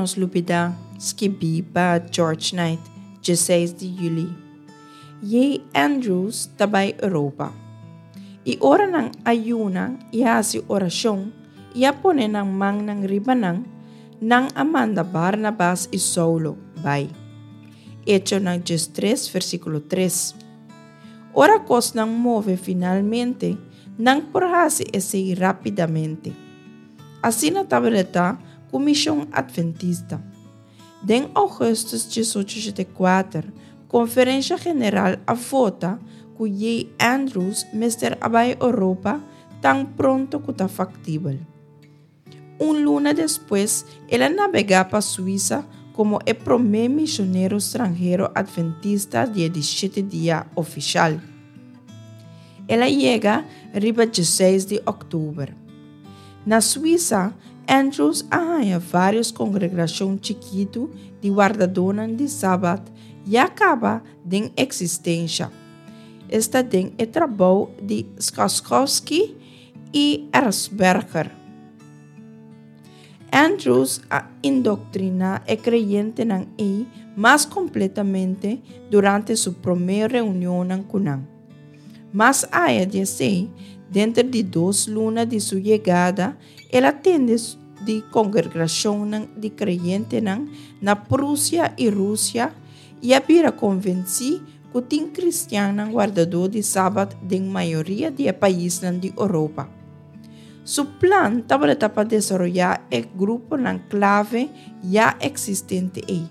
nos lubidá, skibí pa George Knight, 16 di yüli. J. Andrews ta bai Europa. I ora nan a yuna i a hasi orashon i a pone nan mannan riba nan, nan a manda Barnabas i Saulo bai. Echonan 13 versíkulo 3. Ora kosnan move finalmente, nan por hasi esei rápidamente. Asina tabata ta ku Mishon Adventista. Den ougùstùs 1884, Konferensha General a vota ku J. Andrews mester a bai Europa tan pronto ku ta faktibel. Un luna despues, el a nabegá pa Suisa komo e promé mishonero stranhero adventista di e di shete dia ofishal. El a yega riba 16 di òktober. Na Suisa, Andrews a haña vários kongregashon chikitu di wardadónan di sabat ya kaba den eksistensha, esta den e trabou di Skaskowski i Erzberger. Andrews a indoktriná e kreyentenan ei mas kompletamente durante su promé reunionnan ku nan. Mas aya di esei, denter di dos luna di su yegada, el a tende di kongregashonnan di kreyentenan na Prusia i Rusia i a bira konvensí ku tin kristiannan wardadó di sabat den mayoria di e paisnan di Oropa. Su plan tabata pa desaroyá e gruponan klave ya eksistente ei.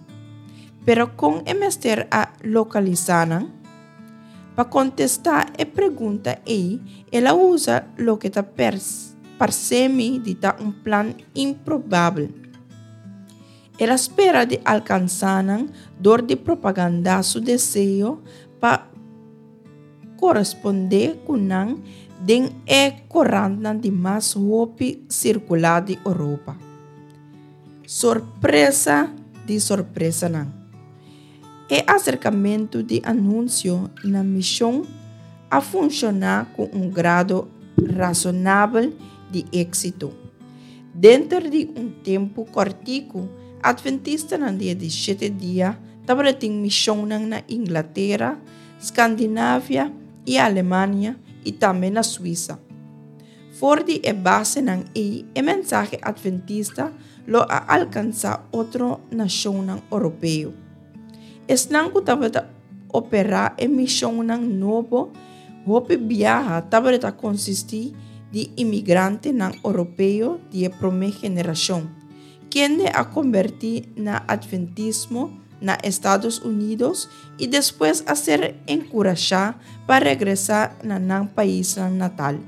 Pero kon e mester a lokalisá nan? Pa kontestá e pregunta ei, el a usa loke ta parse mi di ta un plan improbabel. El a spera di alkansá nan dor di propagandá su deseo pa korespondé ku nan den e korantnan di mas hopi sirkulá di Oropa. Sorpresa di sorpresanan! E aserkamentu di anunsio na mishon a funshoná ku un grado rasonabel di éksito. Denter di un tempu kòrtiku, Atventistanan di e di shete dia tabatin mishonnan na Inglatera, Skandinavia i Alemania i tambe na Suisa. For di e basenan ei e mensahe atventista lo a alkansá otro nashonnan oropeo. Esnan ku tabata operá e mishonnan nobo hopi biaha tabata konsistí di imigrantenan oropeo di e promé generashon, kende a kombertí na atventismo na Estados Unidos i despues a ser enkurashá pa regresá na nan paisnan natal.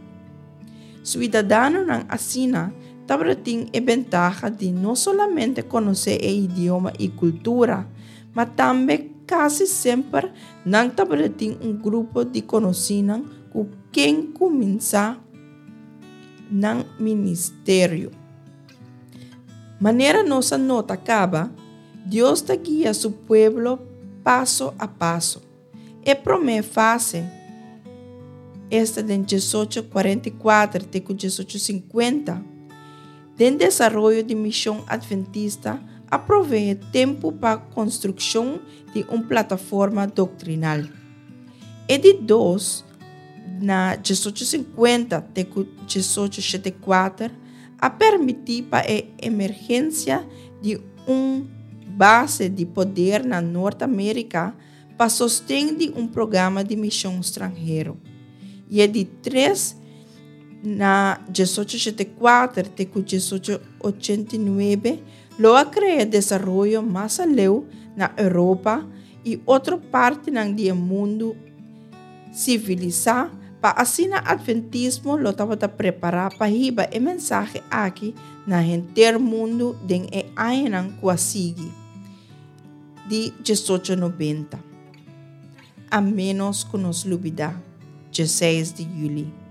Suidadanonan asina tabatin e bentaha di no solamente konosé e idioma i kultura, ma tambe kasi semper nan tabatin un grupo di konosínan ku ken kuminsá nan ministerio. Manera nos a nota kaba, Dios ta guia su pueblo paso a paso. E promé fase, esta den 1844 te ku 1850, den desaroyo di mishon adventista a proveé tempu pa konstrukshon di un plataforma doktrinal. E di dos, na 1850 te ku 1874, a permití pa e emergensia di un base di poder na Nort Amérika pa sosten di un programa di mishon stranhero. I e di tres, na 1884 te ku 1889, lo a krea desaroyo mas aleu na Europa i otro partinan di e mundu sivilisá pa asina Adventismo lo tabata prepará pa hiba e mensahe aki na henter mundu den e añanan ku a sigui di 1890. A ménos ku nos lubidá, 16 di yüli.